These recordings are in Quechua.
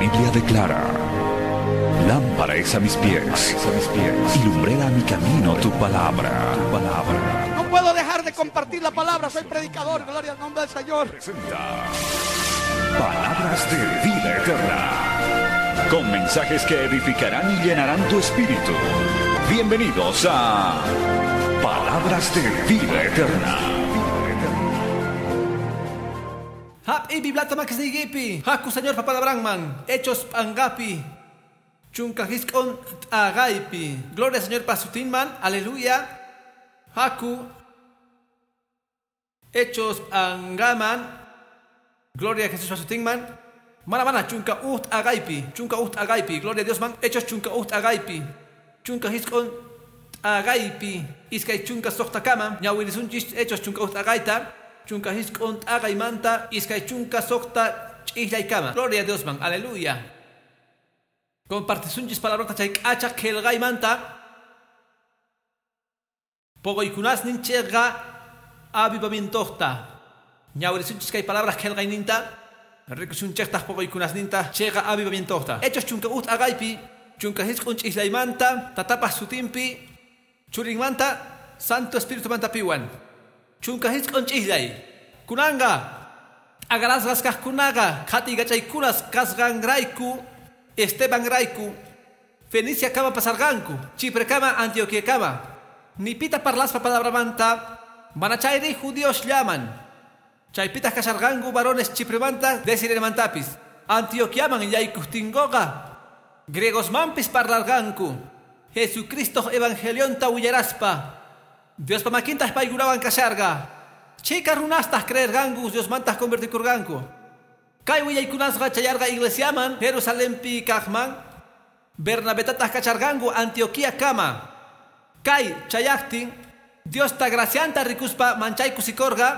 Biblia declara: Lámpara es a mis pies, y lumbrera a mi camino tu palabra. Tu palabra. No puedo dejar de compartir la palabra, soy predicador, gloria al nombre del Señor. Presenta Palabras de Vida Eterna, con mensajes que edificarán y llenarán tu espíritu. Bienvenidos a Palabras de Vida Eterna. Hap ibi blata makisnigipi, haku Señor papalabranman, Hechos pangapi, chunka hisk'on t'agaypi. Gloria Señor pasutinman, aleluya. Haku, Hechos pangaman, gloria a Jesús pasutinman. Mana mana, chunka uht agaypi, chunka uht agaypi, gloria a Dios man, Hechos chunka uht agaypi, chunka hisk'on t'agaypi, iskay chunka soqtakama, ñawirisunchis Hechos chunka uht agayta. Chunka hisk'on t'agaymanta, iskay chunka soqta ch'ihlaykama. Gloria a Dios man, aleluya. Compartisunchis palabrota chay k'acha qillqaymanta. Poquykunasnin chayqa avivamientoqta. Ñawirisunchis kay palabras qillqayninta, rikusunchaytaq poquykunasninta chayqa avivamientoqta. Hechos chunka uht agaypi, chunka hisk'on ch'ihlaymanta, tatapaq sutinpi, churinmanta, Santo Espíritu manta piwan. Chunka hisk'on ch'ihlay. Kunanga, t'agarasqas kaqkunaqa, qhatigachaykunas kasqanrayku, Estebanrayku, Fenicia kama pasarqanku, Chipre kama, Antioquia kama. Nipita parlaspa palabramanta, manachayri judíos llaman. Chaypitaq kasharqanku varones Chipremanta, de Sirenemantapis. Antioquiaman yaykuqtinkuqa, griegosmanpis parlarqanku. Jesucristo evangelionta willaraspa. Diospa makintaq paykunawan kasharqa. Chika runastaq creerqanku, Diosmantaq convertikurqanku. Kay willaykunasqa chayarqa iglesiaman, Jerusalempi kaqman, Bernabetataq kacharqanku Antioquia kama. Kay chayaqtin, Diosta gracianta rikuspa manchay kusikorqa,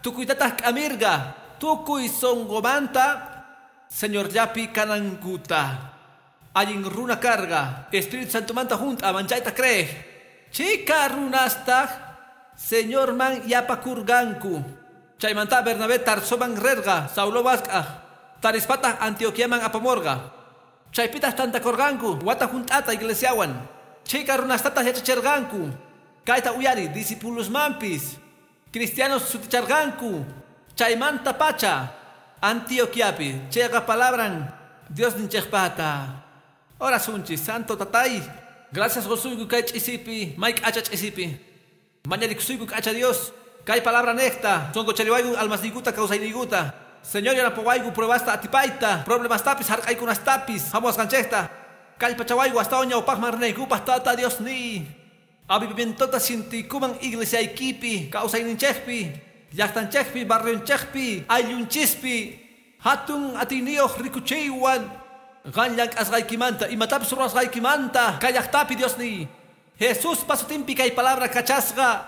tukuytataq k'amirqa, tukuy sunqumanta Señorllapi kanankuta. Allin runa karqa, Espíritu Santomanta hunt'a manchayta creej. Chika runastaq Señorman yapakurqanku. Chaymanta Bernabé Tarsoman rerqa, Saulo mask'aj, tarispataq Antioquiaman apamorqa. Chaypitaq tantakurqanku, wata hunt'ata iglesiawan. Chika runastataq yachacherqanku. Kayta uyari discipulosmanpis, cristianos suticharqanku. Chaymanta pacha Antioquiapi, chayqa palabran Diosninchikpata. Orasunchis, Santo Tatay. Gracias gozuyku kay ch'isipi, may k'acha ch'isipi. Mañarikusuyku k'acha Dios. Kay palabra necta, sonqochariwayku almasniykuta kawsayniykuta. Señor yanapawayku pruebasta atipayta, problemastapis hark'aykunastapis, hamuwasqanchikta. Kallpachawayku astawan ñawpaqman rinaykupaq Tata Dios ni. Avivamientota sintiykuman iglesiaykipi, kawsayninchikpi, llaqtanchikpi, barrionchikpi, ayllunchispi, hatun atiyniyuq rikuchiywan. Qan llank'asqaykimanta, imatapis ruwasqaykimanta, kay llaqtapi Dios ni. Jesús pasutinpi kay palabra kachasqa,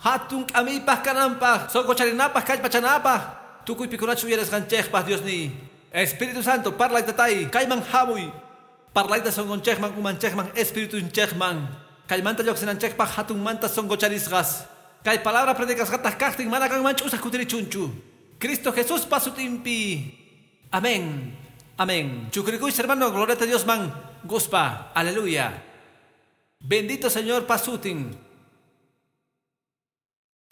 hatun k'amiypaq kananpaq, sonqocharinapaq kallpachanapaq, tukuypikunachu uyarisqanchikpaq Dios ni. Espíritu Santo, parlay tatay, kayman hamuy. Parlayta sonqonchikman, umanchikman, espiritunchikman. Kaymanta lluqsinanchikpaq hatunmanta sonqocharisqas. Kay palabra predicasqataq kaqtin mana qanman ch'usaq kutirichunchu. Cristo Jesús pasutinpi. Amén. Amén. Chukrikuy, hermano, gloria a Dios man. Guspa. Aleluya. Bendito Señor pasutin.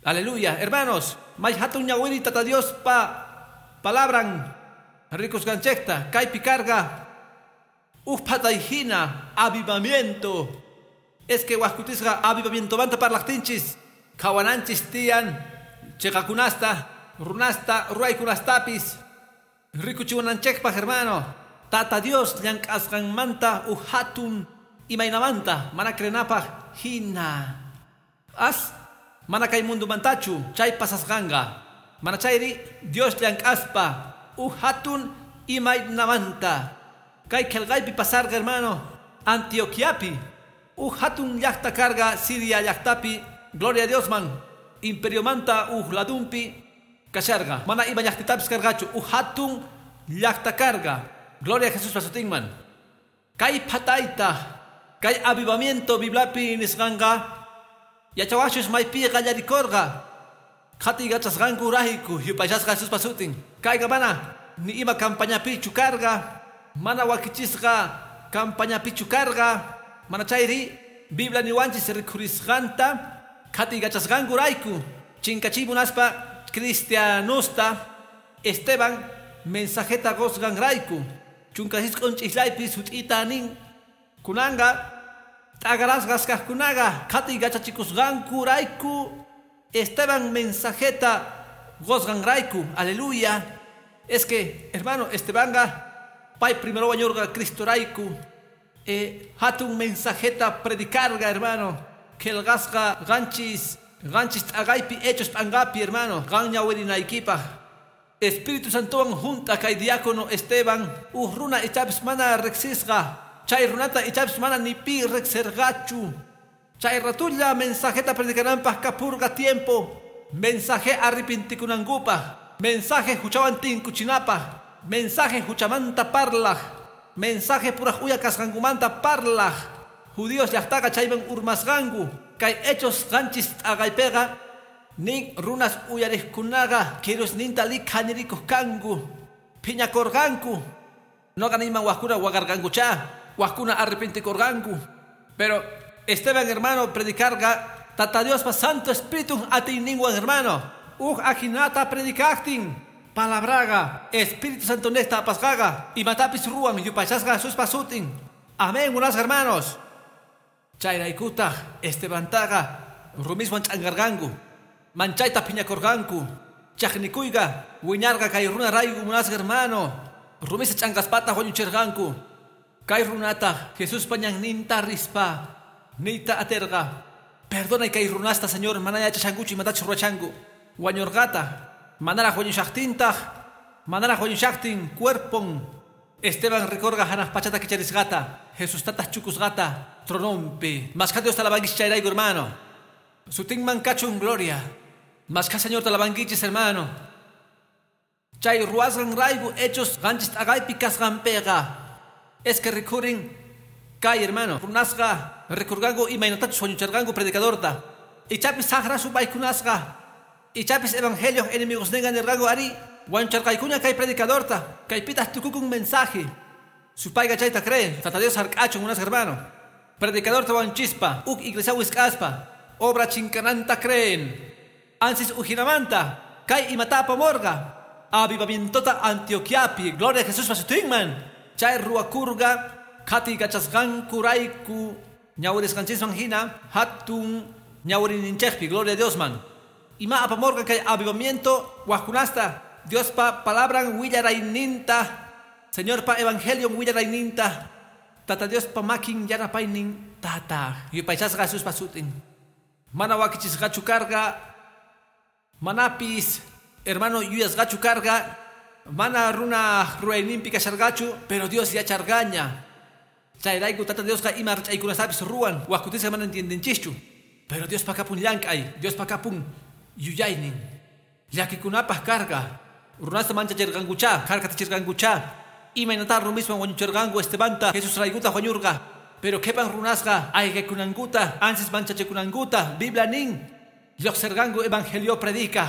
Aleluya. Hermanos, may hatun ñawiri tata Dios pa palabran rikusqanchikta kaypi karqa uj phatayjina avivamiento. Es que wajkutisqa avivamientomanta parlaqtinchis, qhawananchis tiyan chiqakunasta, runasta, ruwaykunastapis. Rikuchiwananchikpaq, hermano, Tata Dios llank'asqanmanta uj hatun imaynamanta mana crenapaq hina. As mana kay mundumantachu chay pasasqanqa. Mana chayri Dios llank'aspa uj hatun imaynamanta. Kay qillqaypi pasarqa, hermano, Antioquiapi uj hatun llaqta karqa Siria llaqtapi, gloria a Dios man, imperiomanta uj ladunpi kasharqa. Mana ima llaqtitapis karqachu, uj hatun llaqta karqa. Gloria a Jesús pasutinman. Kay phatayta, kay avivamiento Bibliapi nisqanqa, yachawachus maypi qallarikurqa. Qhatigachasqanku rayku yupaychasqa Jesús pasutin. Kayqa mana ni ima campañapichu karqa, Mana wakichisqa campañapichu karqa, mana chayri Biblia niwanchis rikhurisqanta qhatiykachasqankurayku chinkachiy munaspa cristianosta Esteban mensajeta qusqanrayku 16 ch'islaypi sut'ita nin kunanqa t'aqarasqas kaqkunaqa qhatiykachachikusqankurayku Esteban mensajeta qusqanrayku. Aleluya. Es que, hermano, Estebanqa pay primero wañurqa Cristorayku hatun mensajeta predicarga, hermano. Qillqasqa qanchis t'aqaypi Hechos p'anqapi, hermano. Qan ñawirinaykipaq Espíritu Santowan junt'a kay diácono Esteban uj runa ichapis mana riqsisqa chay runata ichapis mana ni pi riqsirqachu. Chay ratulla mensajeta predicananpaq kapurqa tiempo. Mensaje arrepintikunankupaq, mensaje huchawan tinkuchinapaq, mensaje huchamanta parlaq, mensaje puraj uya kasqankumanta parlaq. Judíos llaqtaqa chayman urmasqanku. Kay Hechos 7 t'aqaypiqa nin runas uyariqkunaqa kirusninta likhanirikuq kanku, phiñakurqanku. Noqa niyman wajkuna waqarqankuchá, wajkuna arrepentikurqanku. Pero Esteban, hermano, predicarqa Tata Diospa Santo Espíritu atiyninwan, hermano. Uj ajinata predicaqtin palabraqa Espíritu Santo nesta apasqaqa imatapis ruwan yupaychasqa Jesuspa sutin. Amén, munasqa hermanos. Chayraykutaq Estebantaqa rumiswan ch'anqarqanku, manchayta phiñakurqanku. Chaqnikuyqa wiñarqa kay runarayku, munasqa hermano. Rumisa ch'anqaspataq wañuchirqanku. Kay runataq Jesuspa ñanninta rispa niyta aterqa: perdonay kay runasta, Señor, mana yachashankuchu imatachus ruwachanku. Wañurqata manaraq wañushaqtintaq, manaraq wañushaqtin cuerpon Esteban rikurqa hanaq pachata kicharisqata, Jesustataq chukusqata tronompi. Mashkha Dios talabankichis chayrayku, hermano. Sutinman kachun gloria. Mashkha Señor talabankichis, hermano. Chay ruwasqanrayku Hechos 7 t'aqaypi kasqanpiqa es que rikhurin kay, hermano, runasqa rikurqanku imaynatachus wañucharqanku predicadorta. Ichapis saqra supaykunasqa, ichapis evangelio enemigosninqa nirqanku ari wañucharqaykuña kay predicadorta, kaypitaq tukukun mensaje. Supayqa chayta cree. Tata Dios hark'achun, munasqa hermano. Predicadorta wañuchispa uk iglesia wisq'aspa obra chinkananta creen. Ansis ujinamanta kay imata apamorqa avivamientota Antioquiapi. Gloria a Jesús sutinman. Chay ruwakurqa qhatiykachasqankurayku ñawirisqanchisman hina hatun ñawirininchikpi. Gloria a Diosman. Ima apamorqa kay avivamiento wajkunasta Diospa palabran willarayninta, Señorpa evangelion willarayninta, Tata Diospa makin yanapaynin tata yupaychasqa Jesuspa sutin. Mana wakichisqachu karqa, manapis, hermano, yuyasqachu karqa, mana runa ruwayninpi kasharqachu, pero Dios yacharqaña. Chayrayku Tata Diosqa ima rach'aykunastapis ruwan, wajkutisqa mana entiendenchischu. Pero Diospa kapun llank'ay, Diospa kapun yuyaynin. Llakikunapaq karqa, runasta manchachirqankuchá, harkatachirqankuchá. Imaynata rumiswan wañuchirqanku Estebanta, Jesus raykutaq wañurqa. Pero qhipan runasqa ayqikunankuta, ansis manchachikunankuta, Biblia nin lluqsirqanku evangelio predica.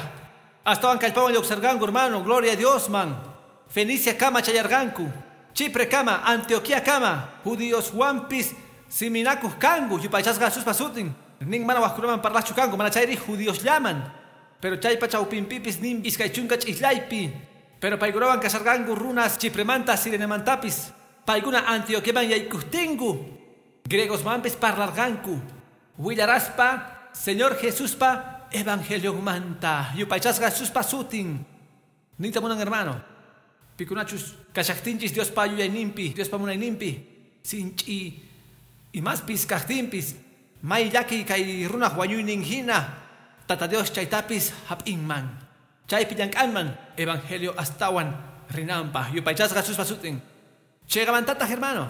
Astawan kallpawan lluqsirqanku, hermano, gloria a Dios man. Fenicia kama chayarqanku, Chipre kama, Antioquia kama, judíos wampis siminakuq kanku, yupaychasqa Jesuspa sutin. Nin mana wajkunaman parlaqchu kanku, mana chayri judíos llaman. Pero chaypa chawpinpipis nin 20 ch'islaypi. Pero paykunawan kasharqanku runas Chipremanta, Sirenemantapis. Paykuna Antioquiaman yaykuqtinku griegosmanpis parlarqanku. Willaraspa Señor Jesuspa evangelionmanta. Yupaychasqa Jesuspa sutin. Niyta munan, hermano. Pikunachus kashaqtinchis Diospa yuyayninpi, Diospa munayninpi, sinch'i imaspis kaqtinpis, may llakiy kay runaq wañuynin hina, Tata Dios chaytapis hap'inman. Chaypi llank'anman evangelio astawan rinanpaq. Yupaychasqa Jesuspa sutin. Chayqamantataq, hermano,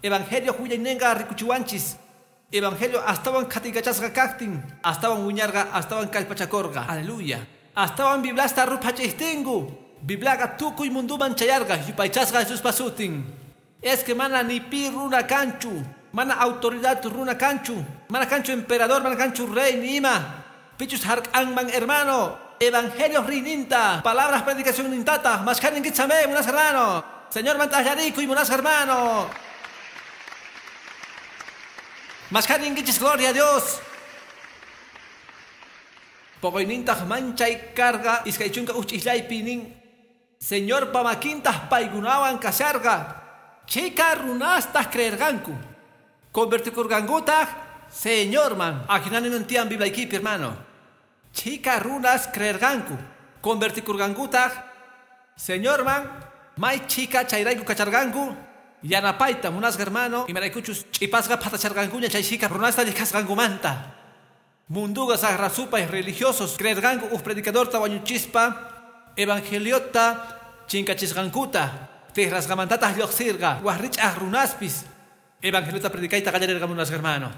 evangelio willayninqa rikuchiwanchis. Evangelio astawan qhatiykachasqa kaqtin, astawan wiñarqa, astawan kallpachakurqa. Aleluya. Astawan Bibliasta ruphach'ijtinku, Bibliaqa tukuy munduman chayarqa. Yupaychasqa Jesuspa sutin. Es que mana ni pi runa kanchu, mana autoridad runa kanchu, mana kanchu emperador, mana kanchu rey ni ima. Pichus hark'anman, hermano, evangelio rininta, palabras predicación nintata, mashkhaninkichame, munas hermano. Señor mantallarikuy munasqa hermano. Mashkaninkichis, gloria a Dios. Poqoynintaq manchay karqa 21 ch'islaypi nin Señorpa makintaq paykunawan kasharqa. Chika runastaq creerqanku. Convertikurqankutaq Señorman. Ajinani tiyan Bibliaykipi, hermano. Chika runas creerqanku. Convertikurqankutaq Señorman. May chika chayrayku kacharqanku. Yanapayta munasqa hermano. Imaraykuchus ch'ipasqa phatacharqankuña chay chika runasta llikasqankumanta. Munduqa saqra supay religiosos creerqanku uj predicadorta wañuchispa evangeliota chinkachisqankuta. Tijrasqamantataq lluqsirqa waj rich'aj runaspis evangeliota predicayta qallarirqa munasqa hermano.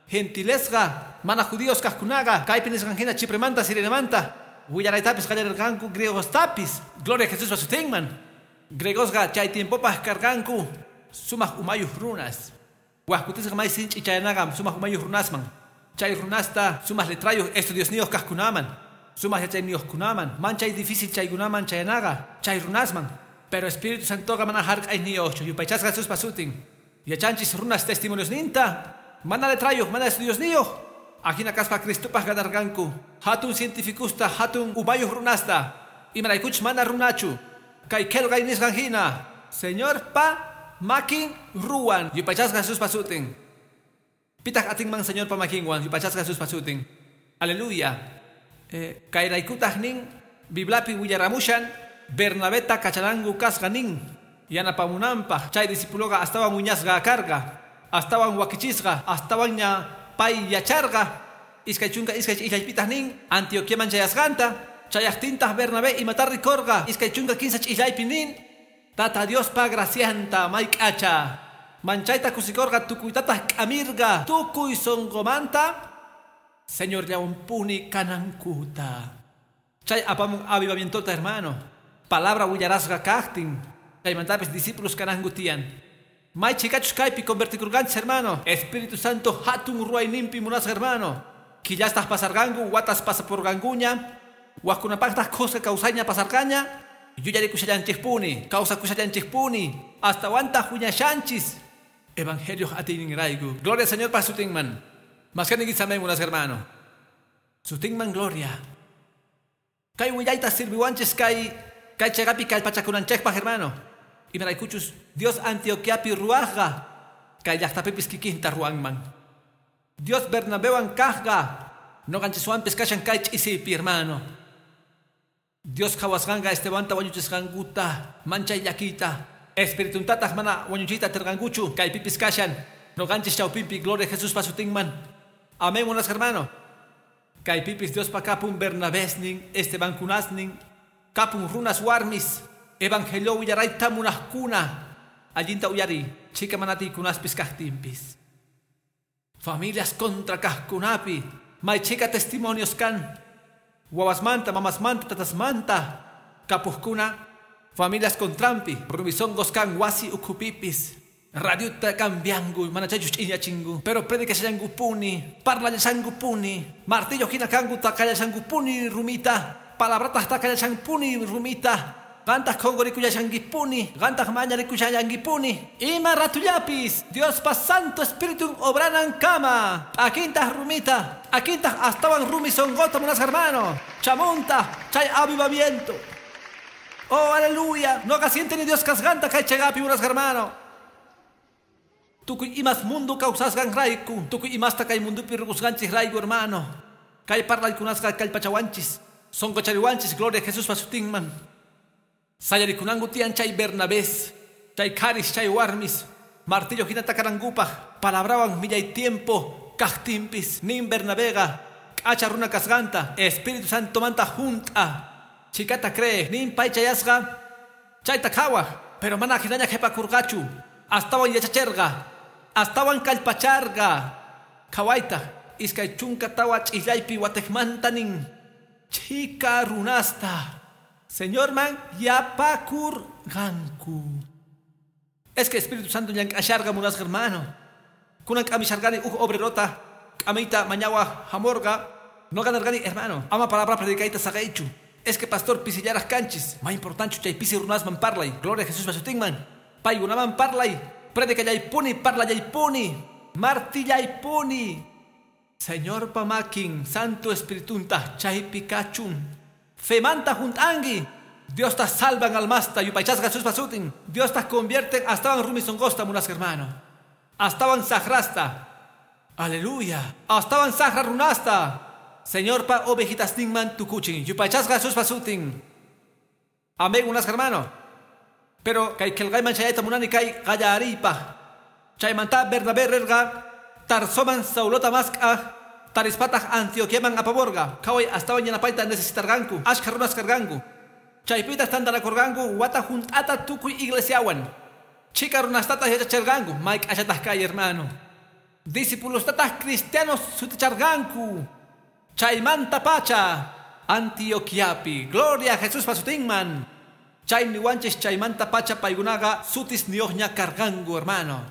Gentilesqa mana judíos kaqkunaqa kaypi nisqan hina Chipremanta Sirenemanta willaraytapis qallarirqanku griegostapis. Gloria a Jesús sutinman. Griegosqa chay tiempopaq karqanku sumaq umayuq runas. Waj kutisqa may sinch'i chayanaqa sumaq umayuq runasman. Chay runasta sumaq letrayuq estudiosniyuq kaqkunaman, sumaq yachayniyuqkunaman, manchay difícil chaykunaman chayanaqa chay runasman. Pero Espíritu Santoqa mana hark'ayniyuqchu yupaychasqa Jesuspa sutin. Yachanchis runas testimoniosninta, mana letrayuq, mana estudiosniyuq. Ajina kaspa Cristopaq ganarqanku hatun cientificusta, hatun umayuq runasta. Imaraykuchus mana runachu. Kay qillqay nisqan hina Señorpa makin ruwan yupaychasqa Jesuspa sutin. Pitaq atinman Señorpa makinwan yupaychasqa Jesuspa sutin. Aleluya. Kayraykutaq nin Bibliapi willaramushan Bernabeta kachananku kasqa nin yanapamunanpaq chay discipuloqa astawan wiñasqa karqa, astawan wakichisqa, astawanña pay yacharqa. 22 ch'islaypitaq nin Antioquiaman chayasqanta chayaqtintaq Bernabé imata rikorqa 23 ch'islaypi nin Tata Diospa gracianta mayk'acha manchayta kusikorqa tukuytataq k'amirqa tukuy sunqumanta Señorllawanpuni kanankuta. Chay apamun avivamientota, hermano. Palabra willarasqa kaqtin chaymantapis discípulos kananku tiyan. May chikachus kaypi convertikurqanchis, hermano. Espíritu Santo hatun ruwayninpi munasqa, hermano. Quillastaq pasarqanku, watas pasapurqankuña, wajkunapaqtaq khuska kawsayña pasarqaña. Yuyarikushallanchikpuni, kawsakushallanchikpuni, astawantaq wiñashanchis. Evangelio atiyninrayku. Gloria al Señor pa sutinman. Maskaniykichis amén, munasqa hermano. Sutinman gloria. Kay willayta sirviwanchis kay kay chayqapi kallpachakunanchikpaq, hermano. Imaraykuchus Dios Antioquiapi ruwaqqa kay llaqtapipis kikinta ruwanman. Dios Bernabewan kaqqa nuqanchiswanpis kashan kay ch'isipi, hermano. Dios qhawasqanqa Estebanta wañuchisqankuta manchay llakiyta. Espirituntataq mana wañuchiyta atirqankuchu kaypipis kashan nuqanchis chawpinpi. Gloria a Jesuspa sutinman. Amén, munasqa hermano. Kaypipis Diospa kapun Bernabésnin, Estebankunasnin, kapun runas warmis, evangelio willarayta munaqkuna, allinta uyariy, chika manatiykunaspis kaqtinpis. Familias contra kaqkunapi, may chika testimonios kan, wawasmanta, mamasmanta, tatasmanta, kapuqkuna, familias contrampi, rumisonqos kan wasi ukhupipis. Radiota cambiangu, mana chaychus ch'iñachingu, pero predicashallankupuni, parlallashankupuni, martillo hina kanku taqallashankupuni rumita, palabrataq taqallashankupuni rumita, qantaq qhunqurikullashankipuni, qantaq mañarikushallankipuni, ima ratullapis, Diospa Santo Espíritu obranan kama, akintaq rumita, akintaq astawan rumi sonqota munasqa hermano, chamunta, chay avivamiento. Oh, aleluya, noqa sienteni Dios kasqanta kay chayqapi munasqa hermano. Tukuy imas mundo kawsasqanrayku, tukuy imasta kay mundupi rukusqanchis rayku, hermano. Kay parlaykunasqa kallpachawanchis, sonqochariwanchis, gloria a Jesuspa sutinman. Sayarikunanku tiyan chay Bernabés, chay qharis, chay warmis, martillo hina takanankupaq, palabrawan millay tiempo kaqtinpis, nin Bernabega, k'acha runa kasqanta, Espíritu Santomanta junt'a, chikata cree, nin pay chayasqa, chayta qhawaq, pero mana hinaña qhipakurqachu, astawan yachacherqa, astawan kallpacharqa. Qhawayta, 24 ch'islaypi watejmanta nin, chika runasta, Señorman yapakurqanku. Es que Espíritu Santo llank'asharqa munasqa hermano. Kunan k'amisharqani uj obrerota, k'amiyta mañawa hamorqa, noqa nerqani, hermano, ama palabra predicayta saqeychu. Es que pastor pisillaraj kanchis. Ma importante chay pisi runasman parlay. Gloria a Jesús pasutinman. Paykunaman parlay. Predicallaypuni, parlallaypuni, martillaypuni. Señor pamakin, Santo Espiritunta, chaypi kachun. Femanta junt'anki. Dios ta salvan almasta, yupaychasqa Jesús pasutin. Dios ta convierte astawan rumi sonqosta munasqa hermano. Astawan saqrasta. Aleluya. Astawan saqra runasta. Señor pa ovejitasninman tukuchin. Yupaychasqa Jesús pasutin. Amén, munasqa hermano. Pero kay qillqayman chayayta munani kay qallariypaq. Chaymanta Bernabé rirqa Tarsoman Saulota mask'aj tarispataq Antioquiaman apamurqa. Qhaway astawan yanapayta necesitarqanku. Ashkha runas karqanku. Chaypitaq tantanakurqanku wata hunt'ata tukuy iglesiawan. Chhika runastataq yachachirqanku. May k'achataq kay hermano. Discipulostataq cristianos suticharqanku. Chaymanta pacha Antioquiapi. Gloria a Jesús pasutinman. Chay niwanchis chaymanta pacha paykunaqa sutisniyuqña karqanku hermano.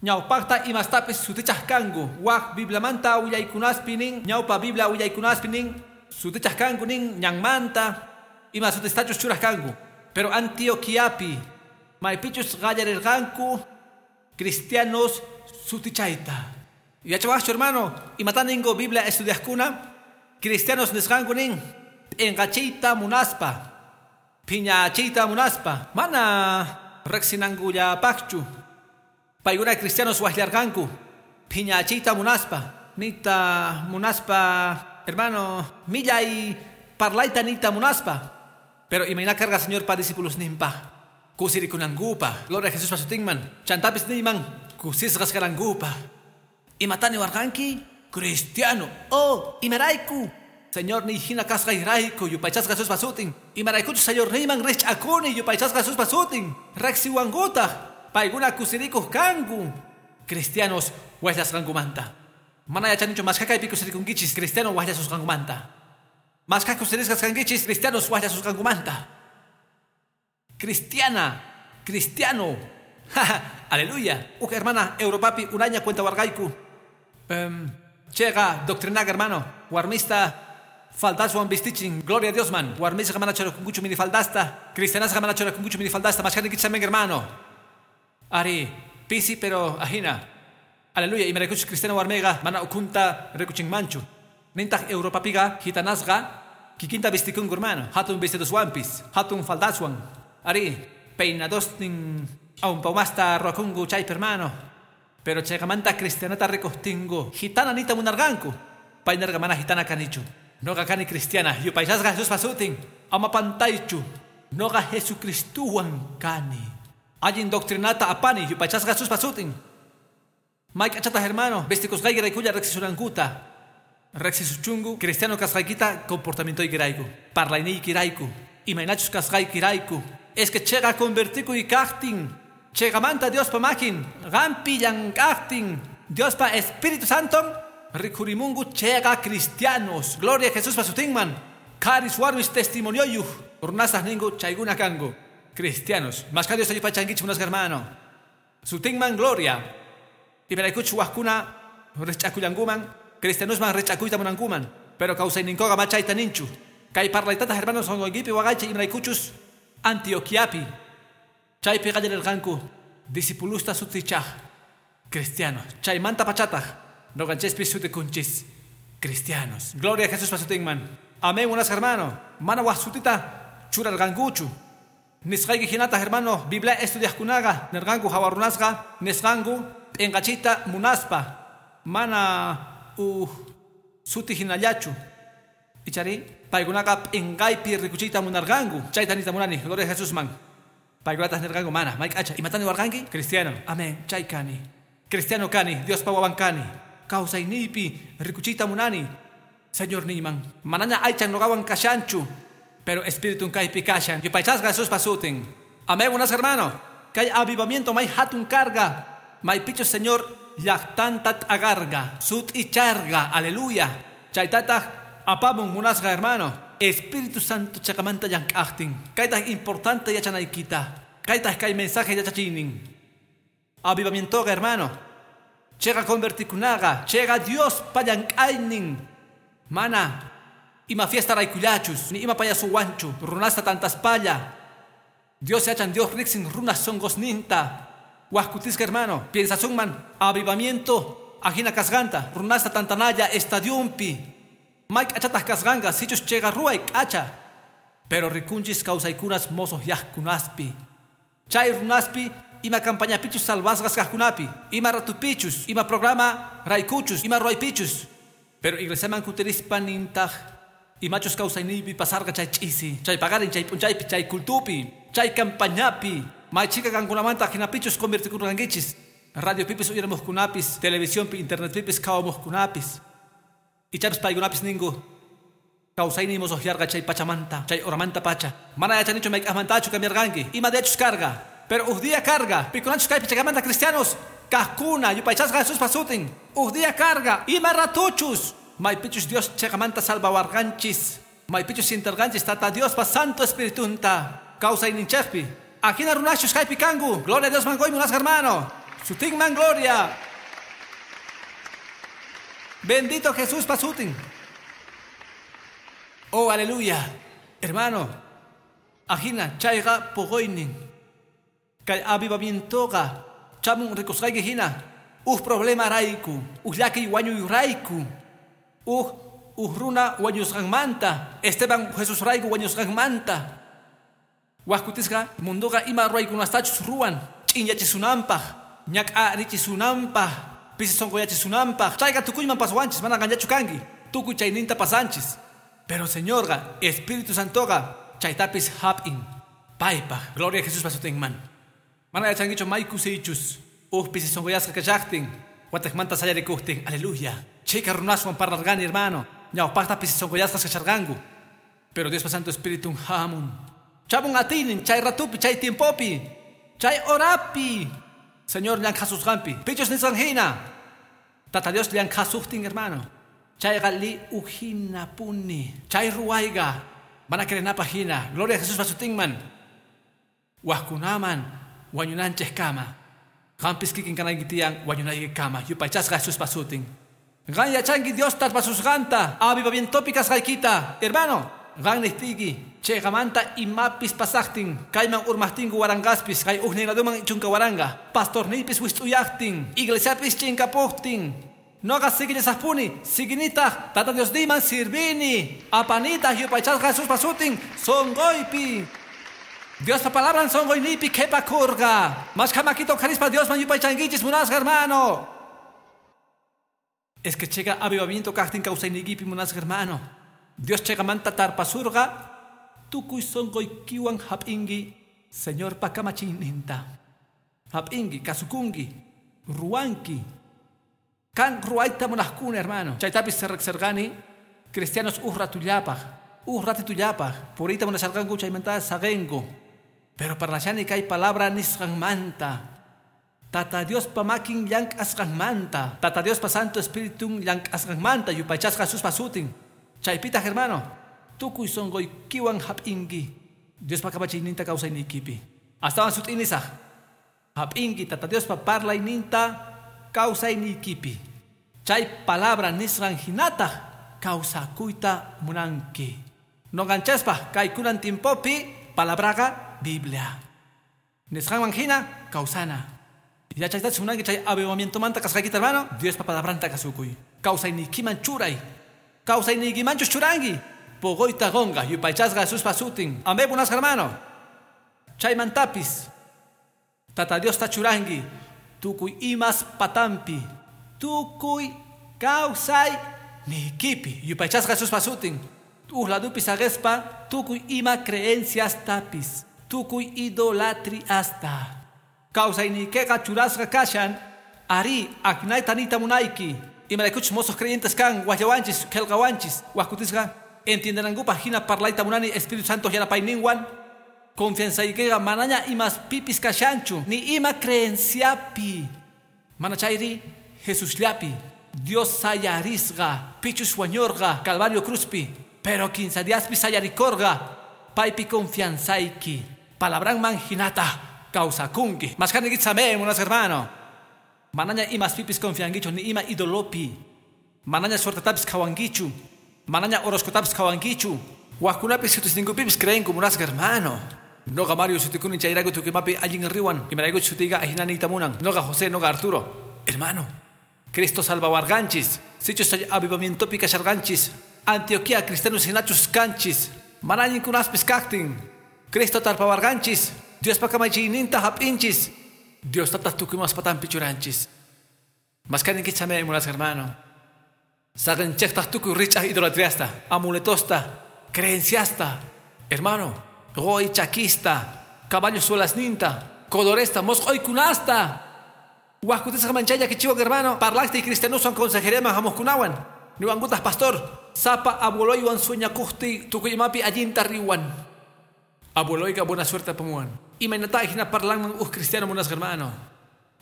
Ñawpaqta imastapis sutichaq kanku. Wak Bibliamanta willaykunaspi nin, ñawpa Biblia willaykunaspi nin, sutichaq kanku nin ñanmanta, ima sutistachus churaq kanku. Pero Antioquiapi maypichus qallarirqanku cristianos sutichayta. Yachawaqchu hermano, imata ninku Biblia estudiaqkuna, cristianos nisqanku nin, p'inqachiyta munaspa, phiñachiyta munaspa, mana riqsinankullapaqchu. Paykuna cristianos waqllarqanku, phiñachiyta munaspa, niyta munaspa, hermano, millay parlayta niyta munaspa. Pero imayna karqa Señor pa discipulosninpaq, kusirikunankupaq, gloria a Jesús pasutinman, chantapis niyman, kusisqas kanankupaq. Imata niwarqanki? Cristiano. Oh, imarayku. Señor ni hina kasqayrayku, yupaychasqa Jesús pasutin. Imaraykuchus Señor niyman riqch'akuni, yupaychasqa Jesús pasutin. Riqsiwankutaq, paykuna kusirikuq kanku. Cristianos waqllasqankumanta. Mana yachanichu mashkha kaypi kusirikunkichis cristiano waqllasusqankumanta. Mashkha kusirisqas kankichis cristianos waqllasusqankumanta. Cristiana, cristiano. Aleluya. Uj hermana Europapi unaña cuentawarqayku. Chega doctrinaqa hermano. Warmista faldaswan vistichin. Gloria a Dios man. Warmisqa mana churakunkuchu mini faldasta. Cristianasqa mana churakunkuchu mini faldasta. Mashkhanikichis amén hermano. Ari, pisi pero ajina. Aleluya. Imaraykuchus cristiano warmiqa mana ukhunta rikuchinmanchu. Nintaq Europapiqa gitanasqa kikinta vistikunku hermano. Hatun vestidoswanpis, hatun faldaswan. Ari, peinadosnin awnpawmasta ruwakunku chaypi hermano. Pero chayqamanta cristianata rikuqtinku gitana niyta munarqanku. Pay nirqa mana gitana kanichu. Noqa kani cristiana, yupaychasqa Jesús pasutin. Ama pantaychu. Noqa Jesucristuwan kani. Allin doctrinata apani, yupaychasqa Jesús pasutin. May k'achataq hermano, vistikusqaykiraykulla riqsisunankuta. Riqsisuchunku cristiano kasqaykita comportamientoykirayku, parlayniykirayku, imaynachus kasqaykirayku. Es que chega convertikuy kaqtin, chegamanta Diospa makin, qampi llank'aqtin, Diospa Espíritu Santon, rikhurimunku chega cristianos. Gloria a Jesús pasutinman. Qharis warmis testimonioyuq, runastaj ninku chaykuna kanku. Cristianos. Mashkha Dios yupaychankichik munasqa hermano. Sutinman gloria. Imaraykuchus wajkuna riqch'akullankuman, cristianosman riqch'akuyta munankuman, pero kawsayninkuqa ma chayta ninchu. Kay parlaytataq hermanos sunquykipi waqaychay imaraykuchus Antioquiapi chaypi qallarirqanku discipulosta sutichaq cristianos. Chaymanta pachataq noqanchispis sutikunchis cristianos. Gloria a Jesús pasutinman. Amén, munasqa hermano. Mana waj sutita churarqankuchu. Nisqayki hinataq hermano, Biblia estudiaqkunaqa nirqanku hawa runasqa nisqanku p'inqachiyta munaspa mana uj suti hinallachu. Ichari paykunaqa p'inqaypi rikuchiyta munarqanku. Chayta niyta munani, gloria a Jesusman. Paykunataq nirqanku mana, may k'acha. Imata niwarqanki? Cristiano. Amén, chay kani. Cristiano kani, Diospa wawan kani. Kawsayniypi rikuchiyta munani. Señor niyman, manaña aychan noqawan kashanchu, pero espiritun kaypi kashan. Yupaychasqa Jesús pasutin. Amén, munasqa hermano. Kay avivamiento may hatun karqa. Maypichus Señor llaqtanta t'aqarqa, sut'icharqa, aleluya. Chaytataq apamun munasqa hermano. Espíritu Santo chaqamanta llank'aqtin. Kaytaq importante yachanaykita. Kaytaq kay mensaje yachachiynin. Avivamientoqa hermano. Chega convertikunaqa, chega Diospa llank'aynin. Mana Ima fiesta raykullachus, ni ima payasuwanchu, runasta tantaspalla. Dios yachan, Dios riksin runas sonqosninta. Wajkutisqa hermano, piensasunman avivamiento ajina kasqanta, runasta tantanalla estadiumpi. May k'achataq kasqanqa, sichus chayqa ruway k'acha. Pero rikunchis kawsaykunas mozo yaqkunaspi. Chay runaspi ima campañapichus salvasqas kaqkunapi, ima ratupichus, ima programa raykuchus, ima ruwaypichus. Pero iglesiaman kutirispa nintaq imachus kawsayniypi pasarqa chay ch'isi, chay paqarin, chay p'unchaypi, chay cultupi, chay campañapi. May chhika qankunamanta hinapichus convertikurqankichis. Radiopipis uyarimuqkunapis, televisionpi, internetpipis qhawamuqkunapis. Ichapis paykunapis ninku kawsayniy mosoqyarqa chay pachamanta, chay horamanta pacha. Mana yachanichu mayk'aqmantachu cambiarqanki, ima dechus karqa. Pero uj día karqa, pikunachus kaypi chakamanta cristianos kaqkuna yupaychasqa Jesuspa sutin. Uj día karqa, ima ratuchus maypichus Dios chayqamanta salvawarqanchis, maypichus sintarqanchis Tata Diospa Santo Espiritunta kawsayninchikpi. Ajina runachus kaypi kanku. Gloria a Dios mangoy munasqa hermano. Sutinman gloria. Bendito Jesús sutin. Oh, aleluya. Hermano, ajina chayqa puquynin. Kay avivamientoqa chamun rikusqayki hina. Uj problema rayku, uj llakiy wañuy rayku, uj runa wañusqanmanta, Esteban Jesús rayku wañusqanmanta. Wajkutisqa munduqa ima ruwaykunastachus ruwan, ch'inyachisunanpaq, ñak'arichisunanpaq, pisi sonqoyachisunanpaq. Chayqa tukuyman pasawanchis, mana qanllachu kanki, tukuy chayninta pasanchis. Pero Señorqa, Espíritu Santoqa, chaytapis hap'in. Paypaq, gloria a Jesús pasutinman. Mana yachankichu may kusiychus, uj pisi sonqoyasqa kashaqtin, wataqmanta sayarikuqtin, aleluya. Chhika runaswan parlarqani, hermano, ñawpaqta pisi sonqoyasqas kasharqanku. Pero Diospa Santo Espíritu hamun. Chamun atiynin chay ratupi, chay tiempopi, chay horapi. Señor llankhasusqanpi, pichus nisqan hina. Tata Dios llankhasuqtin, hermano. Chayqa li ujina puni. Chay ruwayqa mana creenapaq hina. Gloria a Jesús pasutinman. Wajkunaman wañunanchik kama. Qampis kikin kanayki tiyan wañunayki kama. Yupaychasqa Jesús pasutin. Qan yachanki Dios tarpasusqanta avivamientopi kasqaykita. Hermano, qan niqtiyki chayqamanta imapis pasaqtin, kayman urmaqtinku waranqaspis, kay ujnin laduman chunka waranqa, pastorniypis wist'uyaqtin, iglesiapis chinkapuqtin. Noqa siginisaqpuni, siginitaq Tata Diosniyman sirvini, apanitaq yupaychasqa Jesuspa sutin sonqoypi. Diospa palabran sonqoyniypi qhipakurqa. Mashkha makita uqharispa Diosman yupaychankichis munasqa hermano. Es que chayqa avivamiento kaqtin kawsayniykipi munasqa hermano. Dios chayqamanta tarpasurqa, tukuy sonqoykiwan hap'inki Señorpa kamachiyninta. Hap'inki, kasukunki, ruwanki. Kan ruwayta munaqkuna, hermano. Chaytapis riqsirqani cristianos uj ratullapaq, uj ratitullapaq, puriyta munasharqanku chaymanta saqinku. Pero parlashani kay palabra nisqanmanta. Tata Diospa makin llank'asqanmanta, Tata Diospa Santo Espiritun llank'asqanmanta yupaychasqa Jesuspa sutin. Chaypitaq, hermano, tukuy sonqoykiwan hap'inki Diospa kamachiyninta kawsayniykipi. Astawan sut'inisaq. Hap'inki Tata Diospa parlayninta kawsayniykipi. Chay palabra nisqan hinataq kawsakuyta munanki. Noqanchaspa kaykunan tiempopi palabraqa Biblia. Nisqanman hina kawsana. Yachaytachus munanki chay avivamientomanta kasqaykita, hermano, Diospa palabranta kasukuy. Kawsayniykiman churay. Kawsayniykimanchus churanki. Poqoyta qonqa yupaychasqa Jesuspa sutin. Amén, munasqa hermano. Chaymantapis Tata Diosta churanki tukuy imas patampi, tukuy kawsayniykipi. Yupaychasqa Jesuspa sutin. Uj ladupi saqespa tukuy ima creenciastapis, tukuy idolatriasta. Kawsayniykiqa churasqa kashan, ari ajinayta niyta munayki. Imaraykuchus mozos creyentes kan, waqllawanchis, qillqawanchis, wajkutisqa entiendenankupaq hina parlayta munani Espíritu Santo yanapayninwan. Confianzaykiqa manaña imas pipis kashanchu, ni ima creenciapi. Mana chayri Jesusllapi. Dios sayarisqa, pichus wañurqa, Calvario cruzpi, pero 15 diaspi sayarikorqa, paypi confianzayki. Palabranman hinata kawsakunki. Mashkhanikitsa amén, munasqa hermano. Manaña imas pipis confiankichu, ni ima idolopi. Manaña suertetapis qhawankichu. Manaña horoscotapis qhawankichu. Wajkunapis sutisninkupipis creenku munasqa hermano. Noqa Mario sutikuni chayrayku tukuy allin riwan. Imaraykuchus sutiyqa ajinaniyta munan. Noqa José, noqa Arturo. Hermano, Cristo salvawarqanchis. Sichus chay avivamientopi kasharqanchis. Antioquia cristianos hinachus kanchis. Mana allinkunaspis kaqtin. Cristo tarpawarqanchis. Diospa kamachiyninta hap'inchis. Dios tataq tukuy imas patanpi churanchis. Maskaninkich amén munasqa hermano. Saqinchejtaq tukuy rich'aj idolatriasta, amuletosta, creenciasta. Hermano, qoy chakista, caballo suelasninta, coloresta, mosq'oykunasta. Wajkutisqa manchaya kichiwan hermano, parlaqti cristianoswan consejeriaman hamuqkunawan. Niwankutaq pastor, sapa abueloywan sueñakuqtiy tukuy imapi allinta riwan. Abueloyqa buena suerte apamuwan. Imaynata hina parlanman uj cristiano munasqa hermano.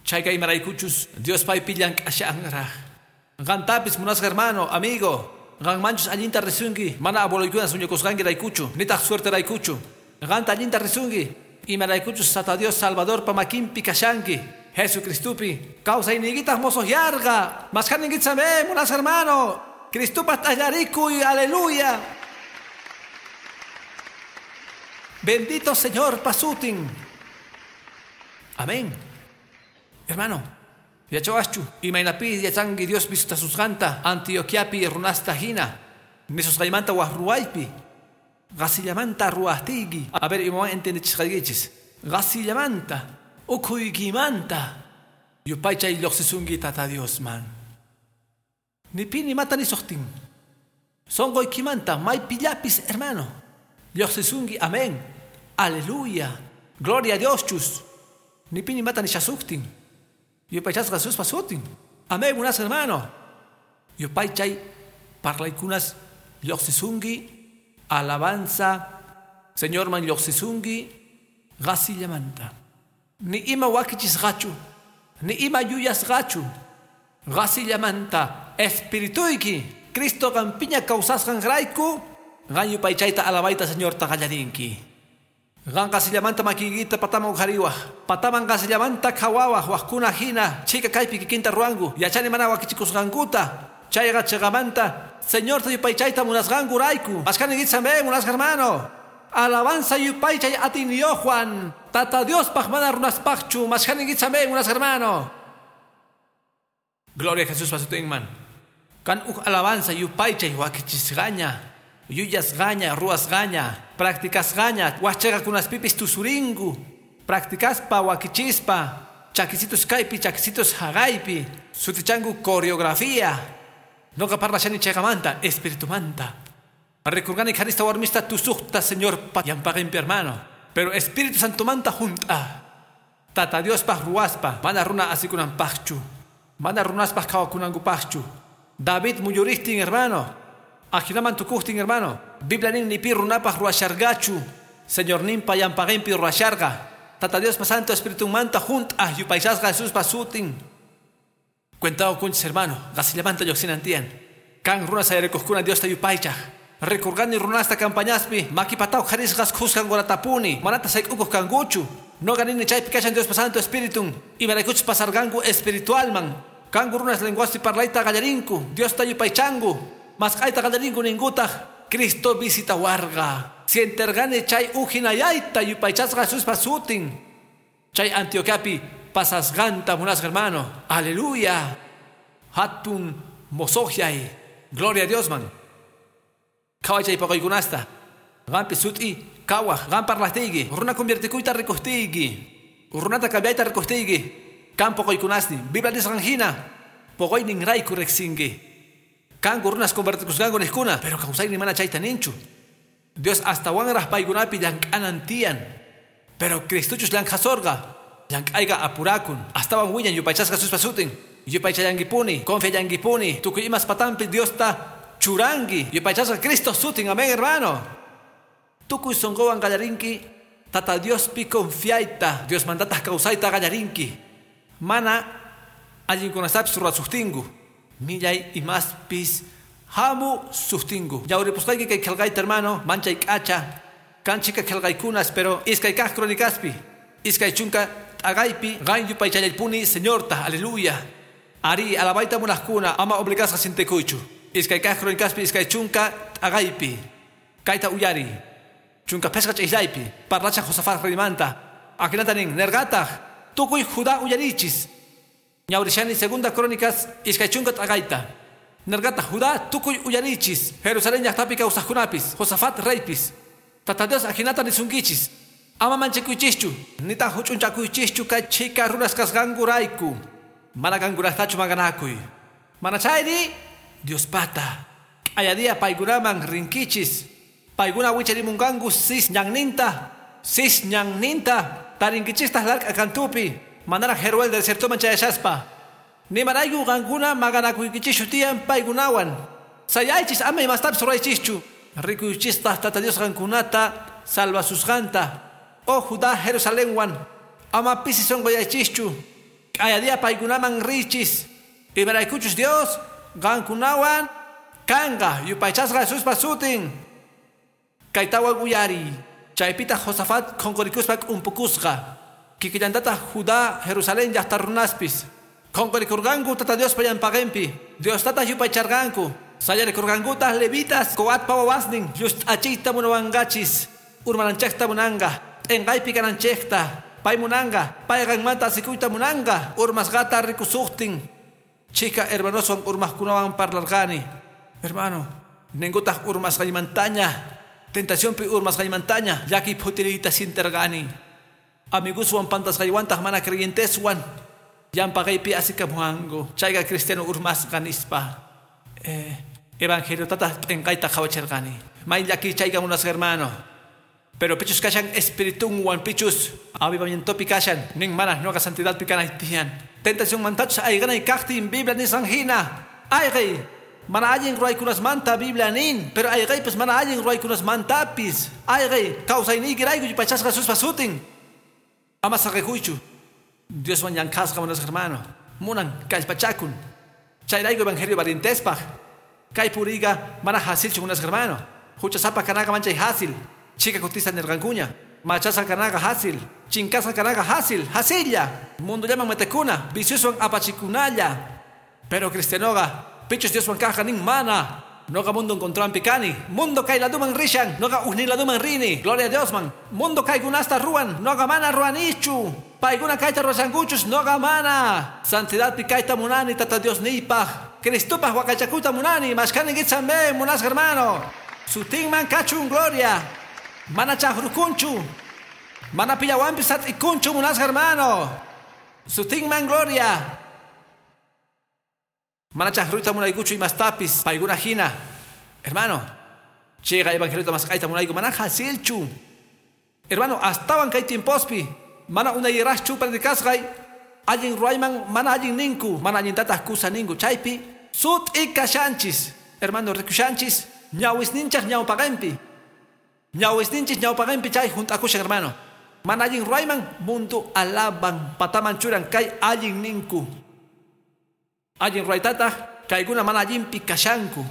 Chayqa imaraykuchus Dios paypi llank'ashanraj. Qantapis munasqa hermano, amigo. Qanmanchus allinta risunki, mana abueloykuna sueñakusqankiraykuchu, nitaq suerteraykuchu. Qanta allinta risunki, imaraykuchus Tata Dios Salvadorpa makinpi kashanki. Jesucristupi, kawsayniykitaq mosoqyarqa. Maskhaninkich amén, munasqa hermano. Cristupaq t'allarikuy, aleluya. Bendito Señor pasutin. Amén. Hermano, yachawaschu imaynapi yachanki Dios visitasusqanta Antioquiapi runasta hina. Nisusqaymanta waj ruwaypi. Qasillamanta ruwaqtiyki. A ver, imawan entendichisqaykichis. Qasillamanta, ukhuykimanta. Yupaychay lluqsisunki Tata Diosman. Ni pi ni mata ni suqtin. Sonqoykimanta maypillapis, hermano. Lluqsisunki, amén. Aleluya. Gloria a Dios chus. Ni pi ni mata ni shasuqtin. Yupaychasqa Jesuspa sutin. Amén, munasqa hermano. Yupaychay parlaykunas lluqsisunki, alabanza Señorman lluqsisunki qasillamanta. Ni ima wakichisqachu, ni ima yuyasqachu. Qasillamanta espirituyki Cristo qampiña kawsasqanrayku qan yupaychayta alabayta Señorta qallarinki. Qan qasillamanta makiykita pataman uqhariwaj, pataman qasillamanta qhawawaj wajkuna hina chhika kaypi kikinta ruwanku, yachani mana wakichikusqankuta. Chayqa chiqamanta Señorta yupaychayta munasqankurayku. Maskaninkich amén munasqa hermano. Alabanza yupaychay atiyniyuqwan. Tata Diospaq mana runaspaqchu. Maskaninkich amén munasqa hermano. Gloria a Jesús pasutinman. Kan uj alabanza yupaychay wakichisqaña, yuyasqaña, ruwasqaña, practicasqaña, wajchaqakunaspipis tusurinku, practicaspa wakichispa, chakisitos kaypi, chakisitos haqaypi, sutichanku coreografía. Noqa parlashani chayqamanta, espiritumanta. Rekurqani qharista warmista tusuqta Señor yampaqinpi hermano. Pero Espíritu Santomanta junt'a. Tata Diospaq ruwaspa, mana runa asikunanpaqchu, mana runaspaq qhawakunankupaqchu. David muyurihtin hermano, ajinaman tukuqtin hermano. Biblia nin ni pi runapaq ruwasharqachu, Señorninpa yampaqinpi ruwasharqa. Tata Diospa Santo Espiritunmanta junt'a yupaychasqa Jesuspa sutin. Cuentado kunchis hermano, qasillamanta lluqsinan tiyan. Kan runa sayarikuqkuna Diosta yupaychaq. Rikurqani runasta campañaspi, makipataw qharisqas khuskan qoratapuni, manata sayk'ukuq kankuchu. Noqa nini chaypi kashan Diospa Santo Espiritun, imaraykuchus pasarqanku espiritualman. Kanku runas lenguaspi parlayta qallarinku, Diosta yupaychanku, masq'ayta qallarinku ninkutaq, Cristo visitawarqa. Sienterqani chay ujinayayta yupaychasqa Jesuspa sutin. Chay Antioquiapi pasasqanta munasqa hermano. Aleluya. Hatun mosoqyay. Gloria a Diosman. Qhaway poqoykunasta. Qampi sut'i kawaj, qam parlaqtiyki, runa conviertikuyta rikuqtiyki, runata cambiayta rikuqtiyki, kan poqoykunasni, Biblia nisqan hina, poqoyninrayku riqsinki. Kanku runas convertikusqanku niqkuna, pero kawsaynin mana chayta ninchu. Dios astawanraq paykunapi llank'anan tiyan. Pero Cristuchus llank'asorqa, llank'ayqa apurakun, astawan wiñan yupaychasqa Jesuspa sutin. Yupaychallankipuni, confiallankipuni, tukuy imas patanpi Diosta churanki, yupaychasqa Cristo sutin, amén hermano. Tukuy sonqowan qallarinki, Tata Diospi confiayta, Dios mandataq kawsayta qallarinki. Mana allinkunastapis ruwasuqtinku, millay imaspis hamu suqtinku. Yawripusqayki kay qillqayta hermano, manchay k'acha, kan chhika qillqaykunas, pero iskay kaq cronicaspi, iskay chunka t'aqaypi, qan yupaychallaypuni Señorta, aleluya. Ari alabayta munaqkuna, ama obligasqa sintikuychu. Iskay kaq Crónicaspi 20 t'aqaypi. Kayta uyari. 15 ch'islaypi. Parlacha Josafat reymanta. Ajinata nin nerqataq tukuy Judá uyarichis. Ñawrishani segunda Crónicas 20 t'aqayta. Nerqataq Judá tukuy uyarichis. Jerusalén llaqtapi kawsaqkunapis. Josafat reypis. Tata Dios ajinata nisunkichis. Ama manchakuychischu. Nitaq huch'unchakuychischu kay chhika runas kasqankurayku. Mana qankunatachu maqanakuy. Mana chayri Diospata. Q'ayadia paykunaman rinkichis. Paykuna wicharimunqanku sis ñanninta. Sis ñanninta. Tarinkichistaq lark'a kantupi. Manaraq Jeruel desiertoman chayashaspa. Nimarayku qankuna maqanakuykichischu tiyan paykunawan. Sayaychis ama imastapis ruraychischu. Rikuychistaq Tata Dios qankunata salvasusqanta. Oh Judá Jerusalenwan. Ama pisi sunquyaychischu. Q'ayadia paykunaman richis. Imaraykuchus Dios qankunawan kanqa yupaychasqa Jesuspa sutin. Kaytawan uyari. Chaypitaq Josafat qunqurikuspa k'umpukusqa. Kikillantataq Judá Jerusalén llaqta runaspis. Qunqurikurqanku Tata Diospa llampaqinpi. Diostataq yupaycharqanku. Sayarikurqankutaq levitas Coatpa wawasnin llust'achiyta munawanqachis. Urmananchikta munanqa. P'inqaypi kananchikta. Pay munanqa. Pay qanmanta asikuyta munanqa. Urmasqata rikusuqtin. Chika hermanoswan urmaqkunawan parlarqani. Hermano, ninkutaq urmasqaymantaña. Tentacionpi urmasqaymantaña. Llakiy phutiriyta sinterqani. Amigoswan pantasqaywantaq mana creyenteswan. Llampaqaypi asikamuwanku. Chayqa cristiano urmasqa nispa. Evangeliotataq p'inqayta qhawachirqani. May llakiy chayqa munasqa hermano. Pero pichus kashan espiritunwan pichus avivamientopi kashan nin mana nuqa santidadpi kanay tiyan. Tentación mantachus ayqanay kaqtin Biblia nisqan hina. Ayqay mana allin ruwaykunasmanta Biblia nin, pero ayqaypis mana allin ruwaykunasmantapis. Ayqay kawsayniykirayku yupaychasqa Jesuspa sutin. Ama saqikuychu. Dioswan llank'asqa munasqa hermano. Munan kallpachakun. Chayrayku evangelio valientespaq. Kay puriyqa mana hasilchu munasqa hermano. Huchasapa kanaqa manchay hasil. Chika kutista nirqankuña. Machasqa kanaqa hasil. Chinkasqa kanaqa hasil. Hasilla. Mundullaman metekuna. Viciosuwan apachikunalla. Pero cristianoqa pichus Dioswan kaqqa nin mana. Noqa mundo encontrampi kani. Mundo kay laduman rishan. Noqa ujnin laduman rini. Gloria a Diosman. Mundo kaykunasta ruwan. Noqa mana ruwanichu. Paykuna kayta ruwashankuchus. Noqa mana. Santidadpi kayta munani Tata Dios niypaq. Cristopaq waqaychakuyta munani. Mashkani kitsambe munasqa hermano. Sutinman kachun gloria. Mana chaqrukunchu. Mana pillawanpis sat'ikunchu munasqa hermano. Sutinman gloria. Mana chaqruyta munaykuchu imastapis paykuna hina. Hermano, chiqa evangeliota mask'ayta munayku mana hasilchu. Hermano, astawan kay tiempospi mana unayraqchu predicasqay allin ruwayman mana allin ninku, mana allintataq kusa ninku. Chaypi sut'i kashanchis. Hermano, rikushanchis ñawisninchaq ñawpaqinpi. Ñawisninchis ñawpaqinpi chay junt'akushan hermano. Mana allin ruwayman mundo alaban pataman churan kay allin ninku. Allin ruwaytataq kaykuna mana allinpi kashanku.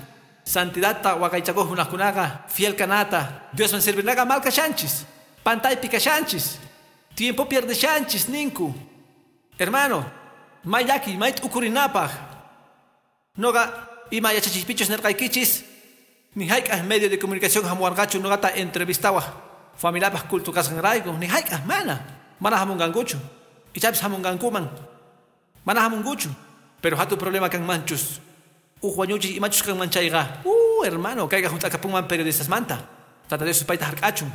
Santidadta waqaychakuq runaqkunaqa fiel kanata Diosman sirvinaqa mal kashanchis. Pantaypi kashanchis. Tiempo pierdeshanchis ninku. Hermano, may llaki, may t'ukurinapaq. Noqa ima yachachiypichus nirqaykichis. Ni hayk'aq medio de comunicación hamuwarqachu noqata entrevistawaq. Familiapaq culto kasqanrayku. Ni hayk'aq mana. Mana hamunqankuchu. Ichapis hamunqankuman. Mana hamunkuchu. Pero hatun problema kanmanchus. Uj wañuchis imachus kanman chayqa. Hermano, kayqa hunt'akapunman periodistasmanta. Tata Dios supayta hark'achun.